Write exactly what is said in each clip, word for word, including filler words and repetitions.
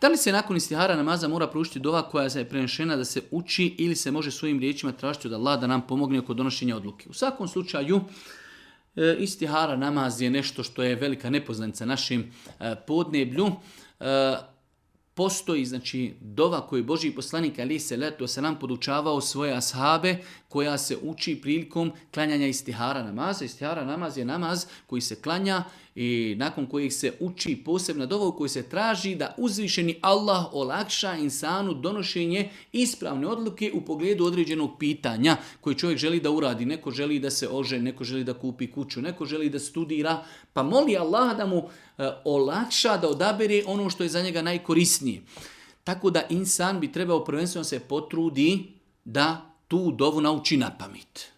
Da li se nakon istihara namaza mora proučiti dova koja je prenešena da se uči ili se može svojim riječima tražiti od Allaha da nam pomogne oko donošenja odluke? U svakom slučaju, istihara namaz je nešto što je velika nepoznanica našim podneblju. Postoji, znači, dova koju je Božji poslanik alejhi selatu selam podučavao svoje ashabe, koja se uči prilikom klanjanja istihara namaza. Istihara namaz je namaz koji se klanja i nakon kojeg se uči posebna dova u kojoj se traži da uzvišeni Allah olakša insanu donošenje ispravne odluke u pogledu određenog pitanja koje čovjek želi da uradi. Neko želi da se oženi, neko želi da kupi kuću, neko želi da studira, pa moli Allah da mu e, olakša da odabere ono što je za njega najkorisnije. Tako da insan bi trebao prvenstveno se potrudi da tu dovu nauči na pamet.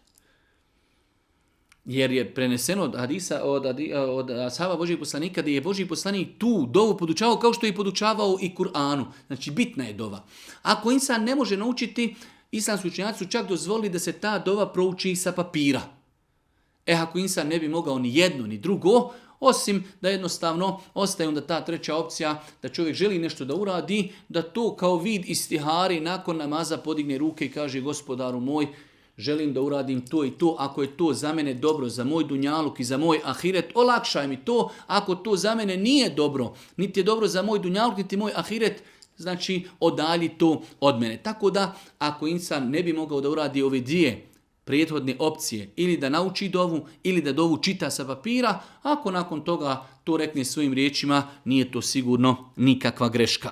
Jer je preneseno od hadisa, od, od ashaba Božijeg poslanika, da je Božji poslanik tu dovu podučavao kao što je podučavao i Kur'anu. Znači, bitna je dova. Ako insan ne može naučiti, islamski učenjaci su čak dozvolili da se ta dova prouči sa papira. E, ako insan ne bi mogao ni jedno ni drugo, osim da jednostavno ostaje onda ta treća opcija, da čovjek želi nešto da uradi, da to kao vid istihari nakon namaza podigne ruke i kaže: Gospodaru moj, želim da uradim to i to, ako je to za mene dobro, za moj dunjaluk i za moj ahiret, olakšaj mi to. Ako to za mene nije dobro, niti je dobro za moj dunjaluk, niti moj ahiret, znači odalji to od mene. Tako da, ako insan ne bi mogao da uradi ove dvije prethodne opcije, ili da nauči dovu, ili da dovu čita sa papira, ako nakon toga to rekne svojim riječima, nije to sigurno nikakva greška.